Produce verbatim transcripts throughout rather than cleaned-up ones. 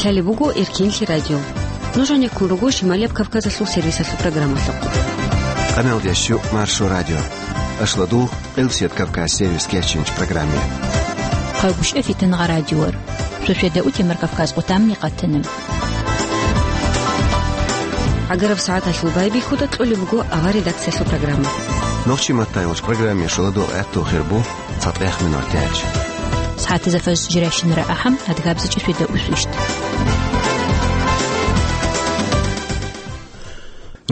Лъалеб буго Эркинлъи радио. Нуж гьанеккун руго Шималияб Кавказалъул сервисалъул программалъухъ. Къаналдиясчу Маршо радио. Ашладул Элсет Кавказ сервис кечинч программе. Хъайбушев Фитнагъа радиор. Суседа утемар Кавказ къутамни къатана. ГӀагараб сагӀаталъул байбихьуда кьолеб буго авар редакциялъул программа. Нохчи маттайулч программе шуладул гӀатту хирбу цатӀех минор тяч. СагӀатизафаз жиращинара ахӀам, адгабзичӀи светда усвищт.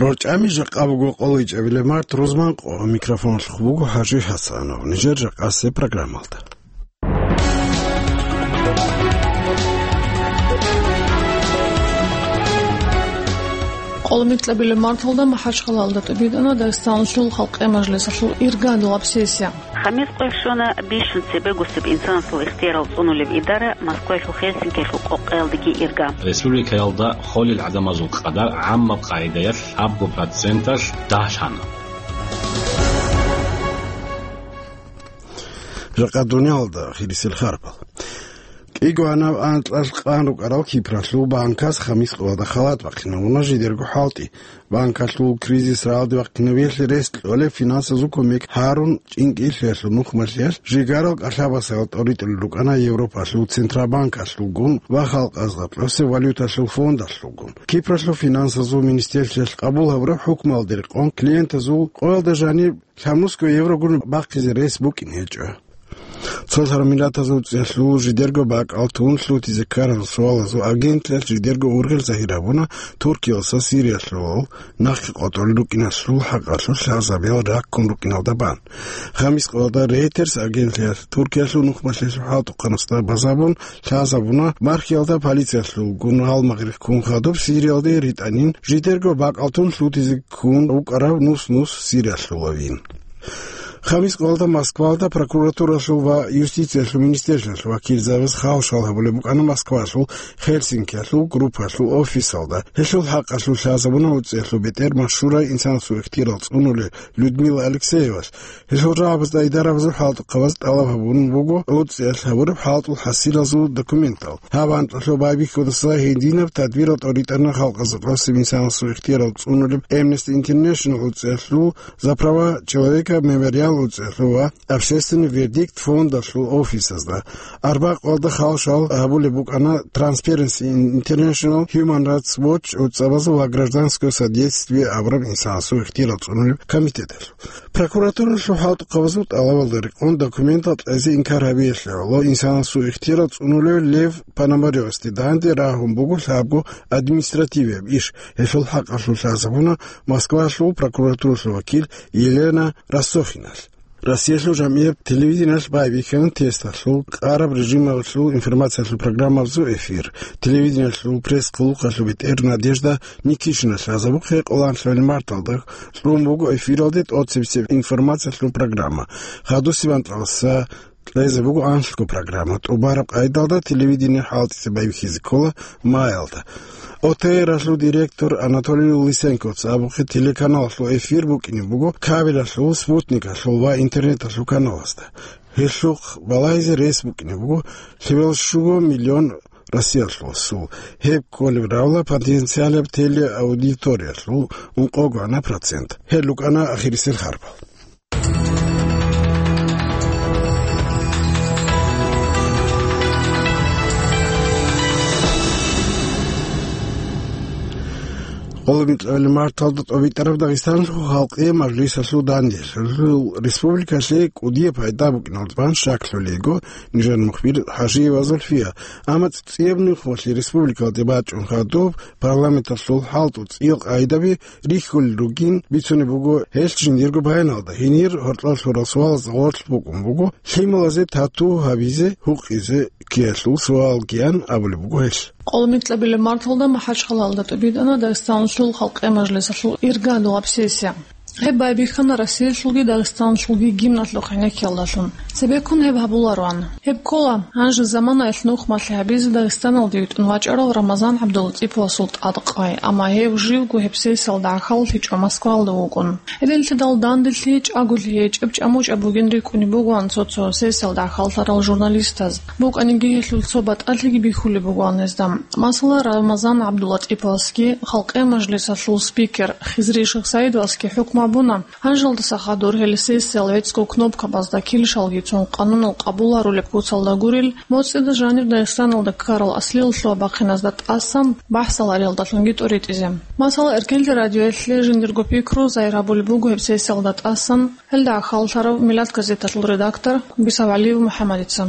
РорчӀами жакъа буго къоло ичӀабилеб март рузман къо, микрофонлъухъ буго ХӀажи ХӀасанов. Нижер жакъасе программалда. Къоло микьабилеб марталда МахӀачхъалаялда тӀубитӀана Дагъистаналъул халкъи мажлисалъул иргадулаб сессия. Хамис къоялъ щвана бищун цебе гусеб инсанасул ихтиярал цӀунулеб идара Москваялъул Хельсинкиялъул къокъаялдеги ирга. Республикаялда холел гӀадамазул къадар гӀаммаб къагӀидаялъ абго проценталъ дагьлъана. Жакъа дуниялда хирисел харпал. КӀиго гьанав анкьалъ къан рукӀарал Кипралъул банкас Хамис къоялда халат бахъинавуна жидерго хӀалтӀи. Банкалъул кризис рагӀалде вахъинавиялъе рес кьолеб финансазул кумек гьарун, чӀинкӀиллъиялъул нухмалъиялъ жигарал кӀалъабасал тӀоритӀулел рукӀана Европалъул Центробанкалъулгун ва халкъазда кьосеб валюталъул фондалъулгун. Кипралъул финансазул министерствоялъ къабул гьабураб хӀукмуялде рекъон клиентазул къоялда жаниб лъабнусго еврогун бахъизе рес букӀин гьечӀо. Цолъараб Миллатазул ЦӀиялъул жидерго бакӀал тун лъутизе ккарал суалазул агентлъиялъ жидерго ургъел загьир гьабуна Туркиялдаса Сириялъул нахъе къотӀулел рукӀиналъул хӀакъалъулъ лъазабиял раккун рукӀиналда бан. Хамис къоялда Рейтерс агентлъиялъ Туркиялъул нухмалъиялъул хӀалтӀухъанасда базабун лъазабуна мархиялда полициялъулгун гьалмагъ риххун хадуб Сириялде ритӀанин жидерго бакӀал тун лъутизе ккун рукӀарав нус-нус Сириялъулавин. Хамис къоялда Москваялда прокуратуралъул ва юстициялъул министерствоялъул вакилзабаз хал-шал гьабулеб букӀана Москваялъул Хельсинкиялъул группаялъул офисалда. Гьелъул хӀакъалъулъ лъазабуна уцӀиялъул бетӀер машгьурай инсанасул ихтиярал цӀунулел Людмила Алексеевалъ. Гьелъул рагӀабазда идарабазул хӀалтӀухъабаз тӀалаб гьабун буго уцӀиялъ гьабураб хӀалтӀул хӀасилазул документал. Гьаб анкьалъул байбихьудаса гьединаб тадбирал тӀоритӀана халкъазда кьосеб инсанасул ихтиярал цӀунулеб Amnesty International уцӀиялъул За права человека мемориал уцӀиялъул ва Общественный вердикт фондалъул офисазда. Арбакъалда хал-шал гьабулеб букӀана Transparency International, Human Rights Watch уцӀабазул ва Гражданское содействие абураб инсанасул ихтиярал цӀунулеб комитеталъул. Прокуратуралъул хӀалтӀухъабазул тӀалабалда рекъон документал кьезе инкар гьабиялъе гӀоло инсанасул ихтиярал цӀунулев Лев Пономарёвасде данде рагьун буго лъабго административияб иш. Гьелъул хӀакъалъулъ лъазабуна Москвалъул прокуратуралъул вакил Елена Рассохиналъ. Россиялъул жамгӀияб телевидениялъ байбихьана тесталъул, къараб режималъул информациялъул программабазул эфир. Телевидениялъул пресс-хъулухъалъул бетӀер Надежда Никишиналъ лъазабухъе къоло анлъабилеб марталда кьун буго эфиралде тӀоцебесеб информациялъул программа. Хадусеб анкьалдаса кьезе буго анлъго программа. ТӀубараб къайдалда телевидение хӀалтӀизе байбихьизе ккола маялда. О Т Р-алъул директор Анатолий Лысенковца абухъе телеканалалъул эфир букӀине буго кабелалъул, спутникалъул ва интернеталъул каналазда. Гьелъухъ балагьизе рес букӀине буго лъебал щуго миллион Россиялъул сул. Гьеб кколеб равла потенциалаб телеаудиториялъул ункъого гӀана процент. Гьел рукӀана ахирисел харпал. Къоло микьабилеб марталда тӀобитӀараб Дагъистаналъул халкъи мажлисалъул данделъ республикалъе кӀудияб пайда букӀиналдасан щаклъулел йиго нижер мухбир ХӀажиева Зульфия. Амма цӀияб нухмалъи республикалде бачӀун хадуб парламенталъул хӀалтӀу цӀиял къагӀидаби рихьулел ругин бицунеб буго гьелъ жиндирго баяналда. Гьенир гьоркьор лъурал суалазда гъорлъ букӀун буго лъималазе тату гьабизе гьукъизе ккеялъул суалгиян абулеб буго гьелъ. Къоло микьабилеб марталда МахӀачхъалаялда тӀубитӀана Дагъистаналъул халкъи мажлисалъул иргадулаб сессия. Гьеб байбихьана Россиялъулги Дагъистаналъулги гимналъухъ гӀенеккиялдалъун. Цебеккун гьеб гьабулароан. Гьеб ккола, гьанже заманаялъ нухмалъи гьабизе Дагъистаналде витӀун вачӀарав Рамазан ГӀабдулатӀиповасул тӀадкъай, амма гьев живго гьеб сессиялда гӀахьаллъичӀо Москваялда вукӀун. Гьединлъидал данделъи чӀаголъи гьечӀеб чӀамучӀаб бугин рикӀкӀунеб бугоан цо-цо сессиялда гӀахьаллъарал журналистаз. БукӀаниги гьелъул цо батӀалъиги бихьулеб бугоан гьезда. Масала, Рамазан ГӀабдулатӀиповасги, Халкъи мажлисалъул спикер Хизри Шихсаидовасги хӀукму гьабуна, гьанжалдаса хадур гьел сессиял гӀецӀго кнопкабазда килщалги цун къанунал къабул гьарулеб куцалда гурел, моцӀида жанир Дагъистаналда ккарал аслиялъул бахъиназда тӀасан бахӀсал гьариялдалъунги тӀоритӀизе. Масала, Эркенлъи радиоялъе жиндирго пикру загьир гьабулеб буго гьеб сессиялда тӀасан гьелда гӀахьаллъарав Миллат газеталъул редактор БисавгӀалиев МухӀаммадица.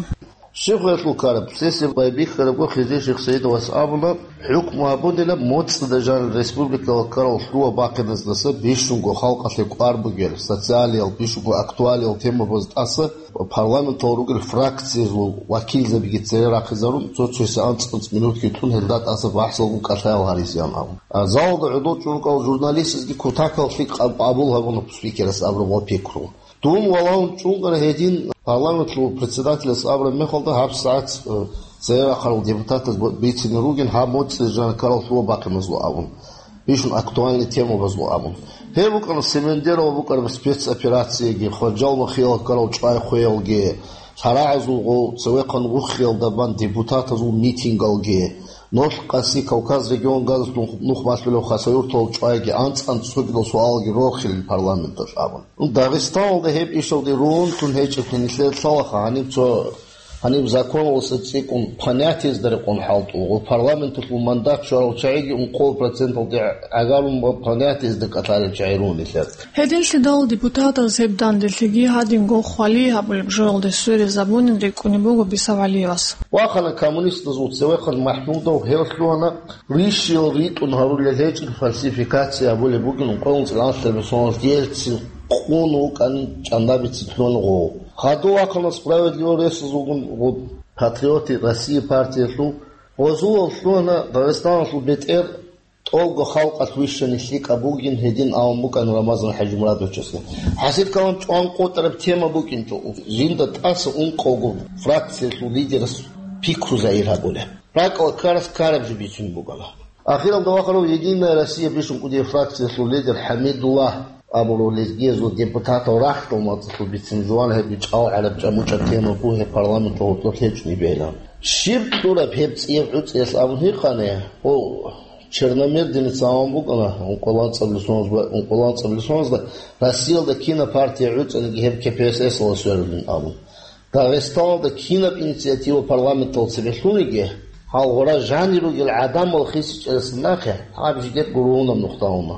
Щиб гьелъул ккараб? Сессия байбихьарабго Хизри Шихсаидовас абуна, хӀукму гьабунила моцӀида жанир республикалда ккарал лъугьа-бахъиназдаса бищунго халкъалъе кӀвар бугел, социалиял, бищунго актуалиял темабаз тӀаса парламенталда ругел фракциязул вакилзабиги цере рахъизарун, цо-цоясе анцӀ-анцӀ минутги тун гьелда тӀаса бахӀсалгун кӀалъаял гьаризеян абун. А залалда гӀодов чӀункӀал журналистазги кутакаллъи къаб-, къабул гьабуна спикерас абураб ва пикру. Дун валагьун чӀункӀара гьедин парламентлъул председателас абураб мехалда гьаб сагӀат, э, церерахъарал депутатаз бо-, бицине ругин гьаб моцӀида жанир ккарал лъугьа-бахъиназул абун, бищун актуальный темабазул абун. Гьеб букӀана Семендерова букӀараб спецоперацияги, Хваджал-Махиялда ккарал чӀвай хвеялги, лъарагӀазул гъов цевехъан вухиялда бан депутатазул митингалги, нолъ къаси Кавказ регион газалъ нух-, нух малъулев Хасавюрталъул чӀвайги анцӀ-анцӀ цогидал суалги рохилин парламенталъ абун. Дагъистаналда гьеб ишалде рун тун гьечӀеблъи нилъер лъалаха гьаниб цо, гьаниб законалдаса цӀикӀкӀун понятиязда рекъон хӀалтӀулгъу, парламенталъул мандат щварал чагӀиги ункъо проценталде гӀагарун ва понятиязда кӀалъарел чагӀи рун нилъер. Гьединлъидал депутатаз гьеб данделъиги гьадинго хвалие гьабулеб жоялде сверизабунин рикӀкӀунеб буго БисавгӀалиевас. Вахана коммунистазул цевехъан МахӀмудов, гьев лъугьана, рищиял ритӀун гьарулел гьечӀин фальсификация гьабулеб бугин ункъоялда цӀикӀкӀаналъ Ельцин къун вукӀанин чӀандабицин лъугьана гъов. Хадув вахана Справедливая Россиязулгун гъоб, Патриоты России партиялъул, гъозулал лъугьана Дагъистаналъул бетӀер тӀолго халкъалъ вищани лъикӀаб бугин гьедин абун букӀана Рамазан ХӀажимурадовичасда. ХӀасил калам чӀван къотӀараб тема букӀинчӀо, жинда тӀаса ункъавго фракциялъул лидерас пикру загьир гьабулеб. РакӀалда ккарас ккараб жо бицунеб бугана. Ахиралда вахарав «Единая Россия» бищун кӀудияб фракциялъул лидер ХӀамидуллагь абурав лезгиязул депутатал рахьдал мацӀалъул бицин жуван гьеб чӀал гӀараб чӀамучӀаб тема бугеб парламенталъул гьоркьоб лъечӀунеб бегьилан. Щиб кьураб гьеб цӀияб гӀуцӀиялъ абун гьикъани, гьев Черномырдинец абун букӀана, ункъоялда анцӀабилеб соналда, ункъоялда анцӀабилеб соналда Россиялда кинаб партия гӀуцӀаниги гьеб КПСС-ала сверулин абун. Дагъистаналда кинаб инициатива парламенталда цебе лъуниги, гьал гъура жанир ругел гӀадамал хисичӀеласан нахъе гьаб жидер гурунаб нухда уна.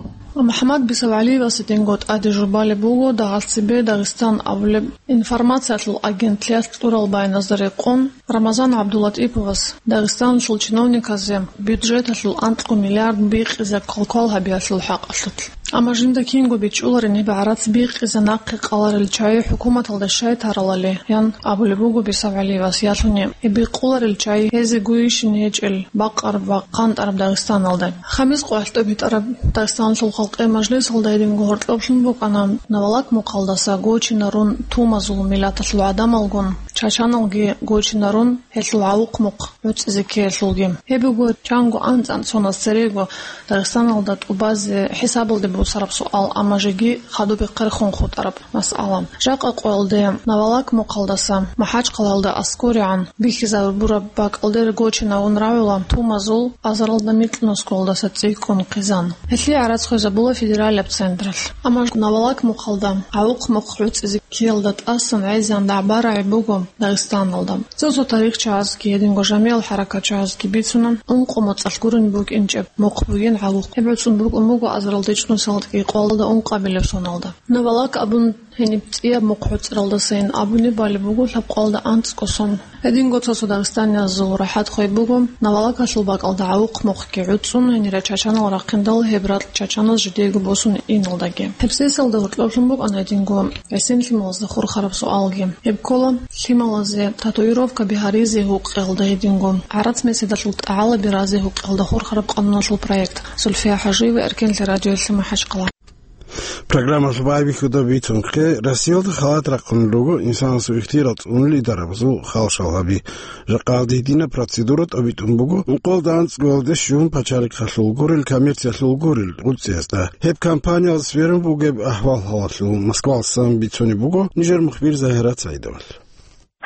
МухӀаммад БисавгӀалиевас гьединго тӀаде жубалеб буго дагьалцебе Дагъистан абулеб информациялъул агентлъиялъ кьурал баяназда рекъон, Рамазан ГӀабдулатӀиповас Дагъистаналъул чиновниказе бюджеталъул анкьго миллиард бикъизе квалквал гьабиялъул хӀакъалъулъ. Амма жинда кинго бичӀчӀуларин гьеб гӀарац бикъизе нахъе къаларел чагӀи хӀукуматалда щай таралали, ян абулеб буго БисавгӀалиевас, ялъуни гьеб бикъуларел чагӀи гьезегойищин гьечӀел бакъараб ва къантӀараб Дагъистаналда. Хамис къоялъ тӀобитӀараб Дагъистаналъул халкъи мажлисалда гьединго гьоркьоблъун букӀана Навалак мухъалдаса гочинарун тумазул миллаталъул гӀадамалгун, чачаналги гочинарун гьелъул гӀавухъ-мухъ гӀуцӀизе ккеялъулги. Гьеб буго чанго анцӀ-анцӀ соназ церего Дагъистаналда тӀубазе хӀисабалде босараб суал, амма жеги хадуб бехъерхун хутӀараб масъала. Жакъа къоялде Навалак мухъалдаса МахӀачхъалаялда аскӀоригӀан бихьизабураб бакӀалде гочинавун рагӀула тумазул азаралда микьнусгуялдаса цӀикӀкӀун хъизан. Гьелъие гӀарац хвезабула федералияб централъ. Амма Навалак мухъалда гӀавухъ-мухъ гӀуцӀизе ккеялда тӀасан гӀезегӀан дагӀба рагӀи буго Дагъистаналда. Цо-цо тарихчагӀазги гьединго жамигӀал хӀаракатчагӀазги бицуна, ункъо моцӀалъ гурони букӀинчӀеб мухъ бугин гӀавухъ. Гьеб гӀуцӀун букӀун буго азаралда ичӀнусиялда кӀикъоялда ункъабилеб соналда. Навалак абун гьениб цӀияб мухъ гӀуцӀаралдасайин абуни балеб буго лъабкъоялда анцӀго сон. Гьединго цо-цо дагъистаниязул рахӀат хвей буго, Навалакалъул бакӀалда гӀавухъ-мухъги гӀуцӀун гьенире чачанал рахъиндал гьеб ракь чачаназ жидеего босун иналдаги. Гьеб сессиялда гьоркьоблъун букӀана гьединго гӀисин лъималазда хурхараб суалги. Гьеб ккола, лъималазе татуировкаби гьаризе гьукъиялда гьединго гӀарац меседалъул тӀагӀалаби разе гьукъиялда хурхараб къануналъул проект. Зульфия ХӀажиева, Эркенлъи радиоялъе, МахӀачхъала. Программалъ байбихьуда бицунхъе, Россиялда халат рахъун руго инсанасул ихтияр цӀунулел идарабазул халшал гьаби. Жакъа гьединаб процедура тӀобитӀун буго ункъоялда анцӀгоялде щун пачалихъалъул гурел, коммерциялъул гурел гъуцӀиязда. Гьеб компаниялда сверун бугеб ахӀвал-хӀалалъул Москвалъ бицунеб буго нижер мухбир Загьират СагӀидовал.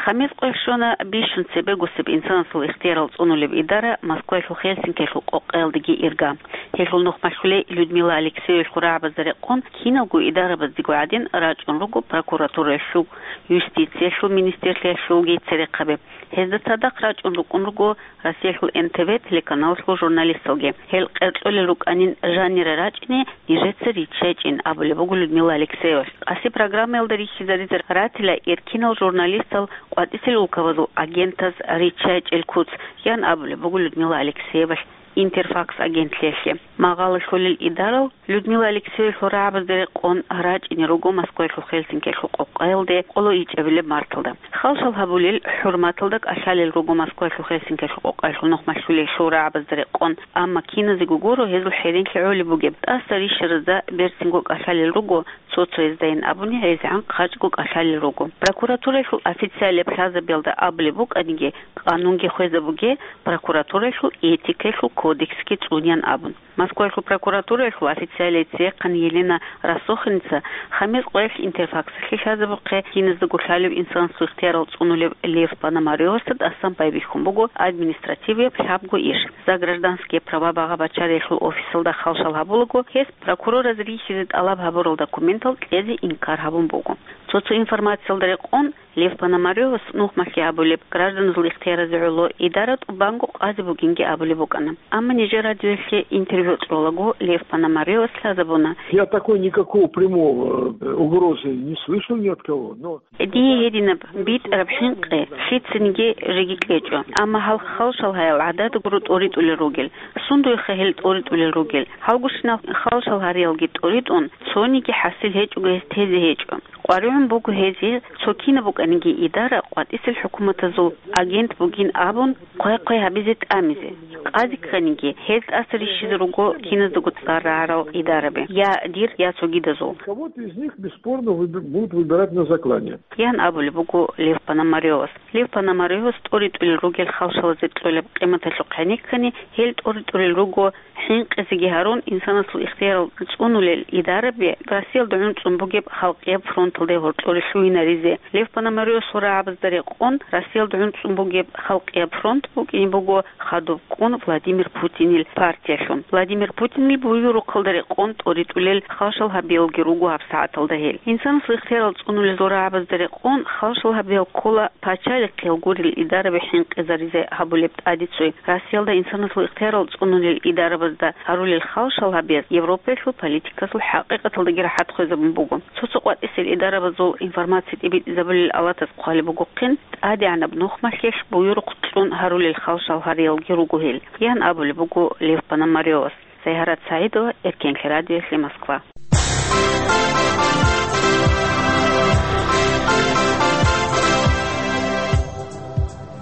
Хамис къвехьщона бищун цебегосеб инсанасул ихтиярал цӀунулеб идара Москваялъул Хельсинкиялъул къокъаялдеги ирга. Гьелъул нухмалъулей Людмила Алексеевалъул рагӀабазда рекъон киналго идарабаздего гӀадин рачӀун руго прокуратуралъул, юстициялъул министрлъиялъулги церехъаби. Гьезда цадахъ рачӀун рукӀун руго Россиялъул Н Т В телеканалалъул журналисталги. Гьел къеркьолел рукӀанин жанира рачӀине нижеца риччачӀин, абулеб буго Людмила Алексеевалъ. Къаси программаялда рихьизаризе ратила эркинал журналистал къватӀисел улкабазул агентаз риччачӀел куц, ян абулеб буго Людмила Алексеевалъ Интерфакс агентлъиялъе. Магъала лъолел идарал Людмила Алексеевалъул рагӀабазда рекъон рачӀине руго Москваялъул Хельсинкиялъул къокъаялде къоло ичӀабилеб марталда. Халшал гьабулел хӀурматалда кӀалъалел руго Москваялъул Хельсинкиялъул къокъаялъул нухмалъулей рагӀабазда рекъон, амма киназего гуро гьезул хӀеренлъи гӀолеб бугеб. ТӀаса рищаразда берцинго кӀалъалел руго, цо-цояздайин абуни гӀезегӀан хъачӀго кӀалъалел руго. Прокуратураялъул официалияб лъазабиялда абулеб букӀаниги, къанунги хвезабуге, прокуратураялъул этикаялъул кодексги цӀунян абун. Москваялъул прокуратураялъул официалияй церехъан Елена Рассохиница хамис къвех Интерфаксалъе лъазабухъе киназдаго лъалев инсанасул ихтиярал цӀунулев Лев Пономарёвасда тӀасан байбихьун буго административияб лъабго иш. За гражданские права багъа-бачариялъул офисалда халшал гьабулаго, гьес прокурораз рихьизе тӀалаб гьабурал документал кьезе инкар гьабун буго. Цо-цо информациялда рекъон, Лев Пономарёвас нухмалъи абулеб гражданазул ихтияразе гӀоло идара тӀубанго къазе бугинги абулеб букӀана. Амма нижер радиоялъе интервью кьолаго Лев Пономарёвас лъазабуна. Я такой никакого прямого, э, угрозы не слышал ни от кого, но Дие гьединаб битӀараб хӀинкъи лъицаниги жеги кьечӀо, амма гьал халшал гьаял гӀадада гуро тӀоритӀулел ругел. Сундуеха гьел тӀоритӀулел ругел? Гьалгощинал халшал гьариялги тӀоритӀун, цониги хӀасил гьечӀого гьес тезе гьечӀо. КъваригӀун буго гьезие цо кинаб букӀаниги идара къватӀисел хӀукуматазул агент бугин абун, хъвай-хъвай гьабизе тӀамизе. Къазе кканиги, гьез тӀаса рищизе руго киназдаго цӀар рагӀарал идараби, я дир, я цогидазул. Кого-то из них бесспорно выби-, будут выбирать на заклание. Ян абулеб буго Лев Пономарёвас. Лев Пономарёвас тӀоритӀулел ругел халшалазе кьолеб къиматалъухъ гьенеккани, гьел тӀоритӀулел руго хӀинкъизеги гьарун, инсанасул ихтиярал цӀунулел идараби Россиялда гӀунцӀун бугеб халкъияб фронталде гьоркьоре лъугьинаризе. Лев Пономарёвасул рагӀабазда рекъон, Россиялда гӀунцӀун бугеб халкъияб фронт букӀине буго хадуб кӀун Владимир Путинил партиялъун. Владимир Путинил буюрухъалда рекъон тӀоритӀулел халшал гьабиялги руго гьабсагӀаталда гьел. Инсанасул ихтиярал цӀунулел рагӀабазда рекъон халшал гьабиял ккола пачалихъ гьел гурел идараби хӀинкъизаризе гьабулеб тӀадицуй. Россиялда инсанасул ихтиярал цӀунулел идарабазда гьарулел халшал гьабиялъ Европаялъул политикасул хӀакъикъаталдаги рахӀат хвезабун буго. Цо-цо къватӀисел идарабазул информация тӀибитӀизабулел алатаз хъвалеб бугохъин, тӀадегӀанаб нухмалъелъ буюрухъ кьун гьарулел халшал гьариялги руго гьел, ян абулеб буго Лев Пономарёвас. Сайгьарат СагӀидова, Эркенлъи радиоялъе, Москва.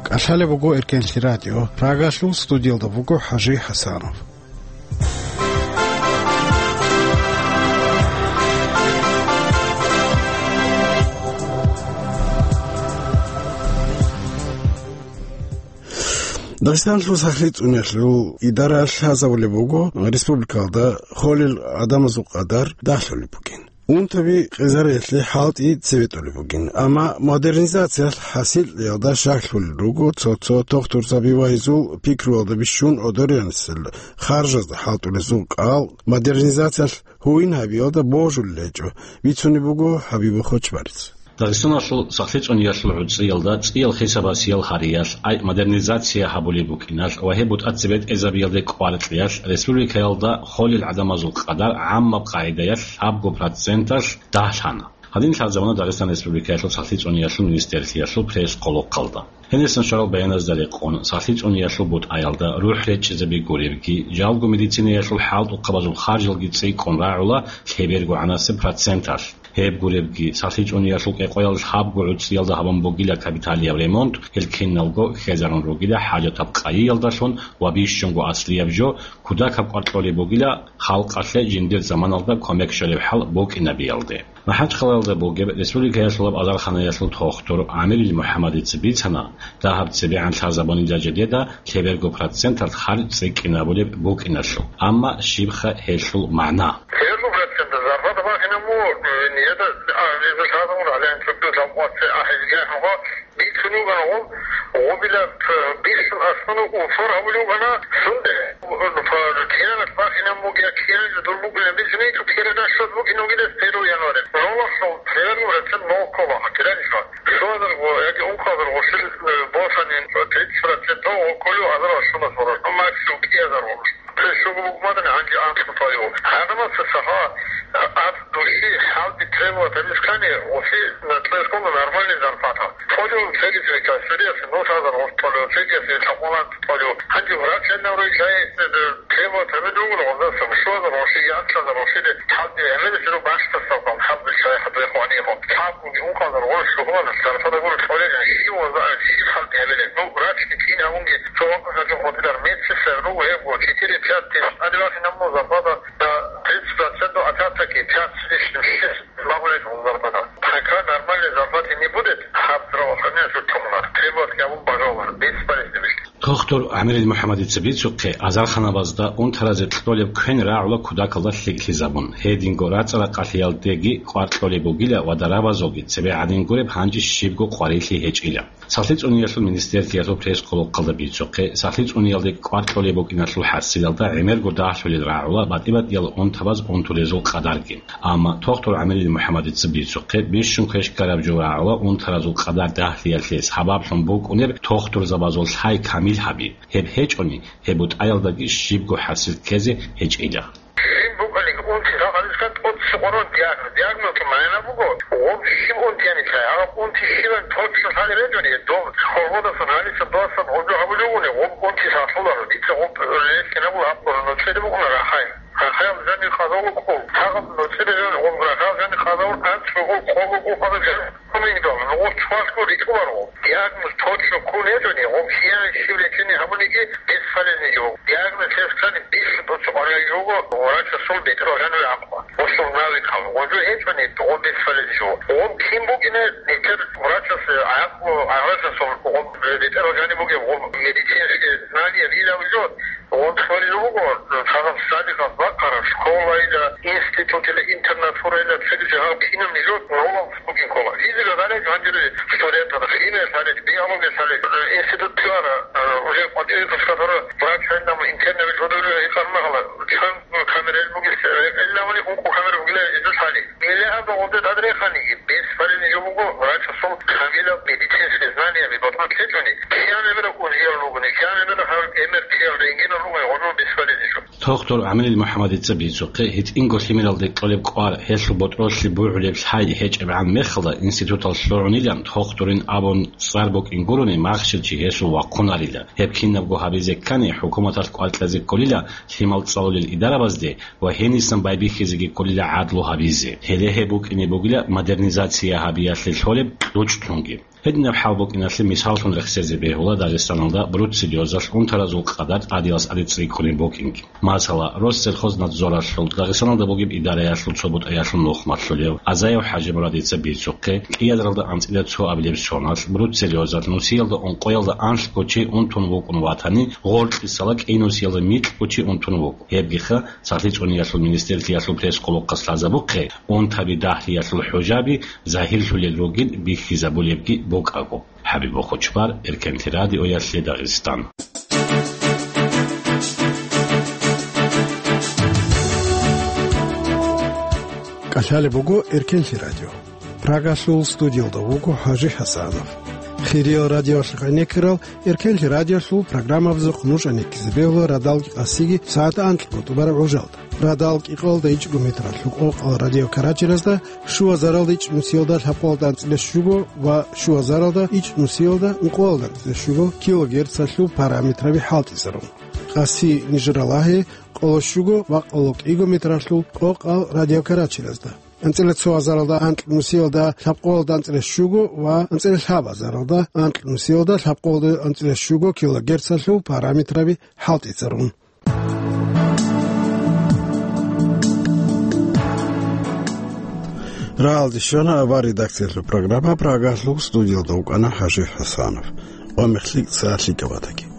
КӀалъалеб буго Эркенлъи радио. Прагалъул студиялда буго ХӀажи ХӀасанов. Дагъистаналъул сахлъи цӀуниялъул идара лъазабулеб буго, республикалда холел гӀадамазул къадар дагьлъулеб бугин. Унтаби къезариялъе хӀалтӀи цебетӀулеб бугин, амма модернизациялъ хӀасилъиялда щаклъулел руго цо-цо тухтурзаби ва гьезул пикруялда бищун гӀодориянисел харжазда хӀалтӀулезул кӀал модернизациялъ гьуин гьабиялда божулел гьечӀо, бицунеб буго ХӀабибул Хочбарис. Дагъистаналъул сахлъи цӀуниялъул гӀуцӀиялда цӀиял хисабасиял гьариялъ, ай модернизация гьабулеб букӀиналъ ва гьеб бутӀа цебетӀезабиялде кӀваркьиялъ республикаялда холел гӀадамазул къадар гӀаммаб къагӀидаялъ абго проценталъ дагьлъана. Гьадин лъазабуна Дагъистан Республикаялъул сахлъи цӀуниялъул министрлъиялъул пресс-къолохъалда. Гьенисан щварал баяназда рекъон, сахлъи цӀуниялъул бутӀаялда рухӀ речӀчӀизаби гуребги, жалго медицинаялъул хӀалтӀухъабазул харжалги цӀикӀкӀун рагӀула лъеберго гӀанасеб проценталъ. Гьеб гуребги, сахлъи цӀуниялъул кӀикъоялда лъабго гӀуцӀиялда гьабун бугила капиталияб ремонт, гьел киналго хьезарун ругила хӀажатаб къайиялдалъун ва бищунго аслияб жо, кудакаб кӀвар кьолеб бугила халкъалъе жиндир заманалда кумек щолеб хӀал букӀинабиялде. МахӀачхъалаялда бугеб республикаялъулаб азарханаялъул тухтур ГӀамирил МухӀаммадица бицана, дагьаб цебегӀан лъазабунила жидеда лъеберго проценталъ харж цӀикӀкӀинабулеб букӀиналъул, амма щибха гьелъул магӀна? Лъеберго процент зарплата бахинаб буго, э, нижеда, а, нижеда лъазабун гӀалаин цогидал лъабкъоялъе ахӀизеги ахӀун, бицун бугони гъоб, гъобила, э, бихьун аслуна узур гьабулев вугони, сунде, э, киналъ бахинаб бугеб, киналъ дур бугилан бицунеб, цо кире дашот букӀин бугилан первого января. Нолалъул лъеберго процент ноль ккола, киранищ ва. Щуазарго яги ункъазарго щил, э, босани, тридцать процент гъоб кколев азар ва щуналъ гъоркь, максимум кӀиазар гъоркь. Щуго букӀунаро гьанже анкьго тӀолев. Гьадамаца саха, а, ад духьи хӀалби требовать гьабиз ккани, оси, э, цебе ккола нормальный зарплата. ТӀолев цеги цеги касириялъе нус азар гъоркь тӀолев, цегиясе лъабкъоялда тӀолев. Гьанже врач гьанав рой жай, э, требовать гьабизе ругони гъоздаса, щуазар гъоркь, анкьазар гъоркь, хӀалби гӀемерисеб бащдасан хӀалби шай хӀадуе хванихъо. Лъабкъоги ункъазар гъоркь щугьуна, зарплата гуро кьолел, щив ва щив хӀалби гьабилеб. Ну, врачги кин гьавунги, цо вакъа гьачӀун хутӀилар, медсестра руго гьебго, четыре-пять тысяч. Гьадин бахинаб буго зарплата, да, тридцать процентов, а так-таки пять с лишним, шесть. Пока нормальной зарплаты не будет, гьаб здравоохранение жо томунар, требовать гьабун бажавулар, бесполезно бихьи. Тухтур ГӀамирил МухӀаммадица бицухъе, азарханабазда унтаразе кьолеб квен рагӀула кудакалда лъикӀлъизабун. Гьединго рацӀа-ракъалъиялдеги кӀвар кьолеб бугила ва дарабазулги цебе гӀадин гуреб гьанже щибго къварилъи гьечӀила. Сахлъи цӀуниялъул министерствалъул пресс-къолохъалда бицухъе, сахлъи цӀуниялде кӀвар кьолеб букӀиналъул хӀасилалда гӀемерго дагьлъулел рагӀула батӀи-батӀиял унтабаз унтулезул къадарги. Амма тухтур ГӀамирил МухӀаммадица бицухъе, бищун квеш ккараб жо рагӀула унтаразул къадар дагьлъиялъе сабаблъун букӀунеб тухтурзабазул лъай камил гьаби. Гьеб гьечӀони, гьеб бутӀаялдаги щибго хӀасил ккезе гьечӀила. Щиб букӀаниги унти рагъалискан тӀоцебе къваригӀун диагноз. Диагнозул магӀна буго, гъоб щиб унти гьанилъай, гьаб унти щибан точно лъалеб гьечӀони, доб хьолбодасан гьаниса досан гъожо гьабулев вуни, гъоб унти лъалъуларо, дица гъоб релълъинабула гьаб нуцӀиде букӀуна рахӀай. Рахаялда жаниб къазавул кӀул. Гьагъаб нуцӀида жо гъоб рахаялда жаниб къазавул анцӀго кӀул, къого кӀул къазаб жо кумек дала, ну гъоб чвалъго рикӀкӀуларо. Диагноз точно ккун гьечӀони, гъоб киян щиб лечение гьабуниги бесполезный жо. Диагноз лъезе ккани бихьи дуца къваригӀел жого, врачасул бетӀерал жаниве гӀакъуба. Гъосул навикал. Гъожо гьечӀони, гъоб бесполезный жо. Гъоб кин букӀине, нилъер врачасе гӀакъуба, гӀаласасул гъоб бетӀерал жаниб бугеб, гъоб медицинский знание лилав жо. Гъоб хварил руго, цадахъ садикъас бахъараб школайила, институтила, интернатурайила, цере жагьал кинаб нижер ролал бугин ккола. Физика лъалеб гьанжере студентал, химия лъалеб, биология лъалеб, институт лъугьара, уже кӀватӀире тушкатара врач гьанна интернабил жодоре гьикъан магьала, чан камерал бугес, гьелъ гьавани ункъо камера бугила иза лъали. Миллиард гъоде тӀад реханиги, бесполезный жо буго, врачасул камилаб медицинский знанияби батӀа лъечӀони, киян гӀемераб унжиял ругони, киян гӀемераб гьаб гӀемер киял рентгенал ругони, гъожо бесполезный жо. Тухтур ГӀамирил МухӀаммадица бицухъе, гьитӀинго лъимералде кьолеб кӀвар, гьелъул ботӀролъи бугӀулеб лъай гьечӀебгӀан мехалда, институтал лъугӀунилан тухтурин абун цӀар букӀин гурони, махщел чи гьесул вахъунарила. Гьеб кинабго гьабизе ккани, хӀукуматалъ кӀвар кьезе кколила лъимал цӀалулел идарабазде, ва гьенисан байбихьизеги кколила гӀадлу гьабизе. Гьеле гьеб букӀине бугила модернизация гьабиялъе лъолеб кьучӀлъунги. Гьединаб хӀал букӀиналъе мисаллъун рехсезе бегьула Дагъистаналда бруцеллезалъ унтаразул къадар тӀадилас тӀаде цӀикӀкӀунеб букӀинги. Масала, Россельхознадзоралъул, Дагъистаналда бугеб идараялъул цо бутӀаялъул нухмалъулев Азаев ХӀажимурадица бицухъе, кӀиязаралда анцӀила цо абилеб соналъ, бруцеллезалъ нусиялда ункъоялда анлъго чи унтун вукӀун ватани, гъоркьисала кӀинусиялда микьго чи унтун вукӀун. Гьебгиха, сахлъи цӀуниялъул министерствалъул пресс-къулухъалъ лъазабухъе, унтаби дагьлъиялъул хӀужаби загьирлъулел ругин бихьизабулебги букӀаго. ХӀабиб Бохочбар, Эркенлъи радиоялъе Дагъистан. КӀалъалеб буго Эркенлъи радио. Прагалъул студиялда вуго ХӀажи ХӀасанов. Хириял радиоялъ гӀенеккарал Эркенлъи радиоялъул программабазухъ нуж гӀенеккизе бегьула радалги къасиги сагӀат анкьго тӀубараб гӀужалда. Радал кӀикъоялда ичӀго метралъул къокъал радиокарачиразда, щуазаралда ичӀнусиялда лъабкъоялда анцӀила щуго ва щуазаралда ичӀнусиялда ункъоялда анцӀила щуго килогерцалъул параметраби хӀалтӀизарун. Къаси нижер ралагье къоло щуго ва къоло кӀиго метралъул къокъал радиокарачиразда. анцӀила цо азаралда анкь нусиялда лъабкъоялда анцӀила щуго ва анцӀила лъаб азаралда анкь нусиялда лъабкъоялда анцӀила щуго килогерцалъул параметраби хӀалтӀицӀарун. Рагьалде щвана авар редакциялъул программа, Прагалъул студиялда вукӀана ХӀажи ХӀасанов. Ва мехлъи цалъи кӀабатаги.